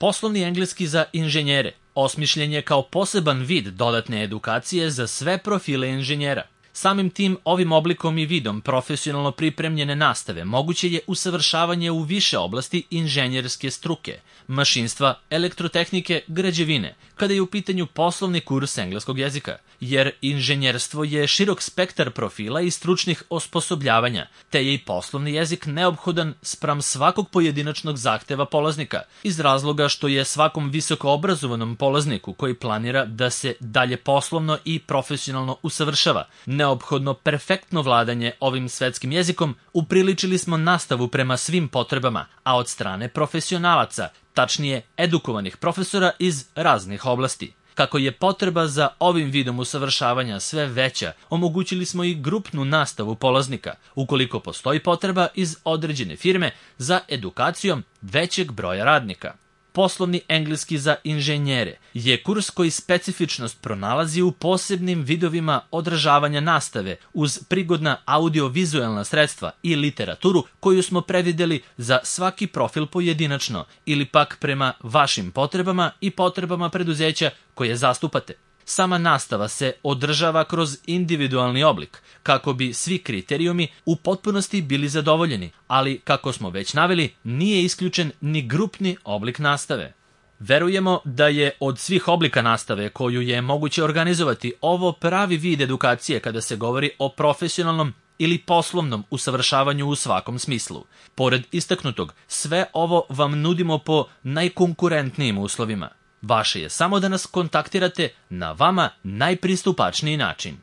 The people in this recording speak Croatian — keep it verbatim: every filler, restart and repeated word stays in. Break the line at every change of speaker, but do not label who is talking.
Poslovni engleski za inženjere osmišljen je kao poseban vid dodatne edukacije za sve profile inženjera. Samim tim, ovim oblikom i vidom profesionalno pripremljene nastave moguće je usavršavanje u više oblasti inženjerske struke, mašinstva, elektrotehnike, građevine, kada je u pitanju poslovni kurs engleskog jezika, jer inženjerstvo je širok spektar profila i stručnih osposobljavanja, te je i poslovni jezik neophodan spram svakog pojedinačnog zahteva polaznika, iz razloga što je svakom visokoobrazovanom polazniku koji planira da se dalje poslovno i profesionalno usavršava neophodno perfektno vladanje ovim svetskim jezikom. Upriličili smo nastavu prema svim potrebama, a od strane profesionalaca, tačnije edukovanih profesora iz raznih oblasti. Kako je potreba za ovim vidom usavršavanja sve veća, omogućili smo i grupnu nastavu polaznika, ukoliko postoji potreba iz određene firme za edukacijom većeg broja radnika. Poslovni engleski za inženjere je kurs koji specifičnost pronalazi u posebnim vidovima odražavanja nastave uz prigodna audio-vizuelna sredstva i literaturu koju smo predvideli za svaki profil pojedinačno ili pak prema vašim potrebama i potrebama preduzeća koje zastupate. Sama nastava se održava kroz individualni oblik, kako bi svi kriterijumi u potpunosti bili zadovoljeni, ali, kako smo već naveli, nije isključen ni grupni oblik nastave. Verujemo da je od svih oblika nastave koju je moguće organizovati ovo pravi vid edukacije kada se govori o profesionalnom ili poslovnom usavršavanju u svakom smislu. Pored istaknutog, sve ovo vam nudimo po najkonkurentnijim uslovima. Vaše je samo da nas kontaktirate na vama najpristupačniji način.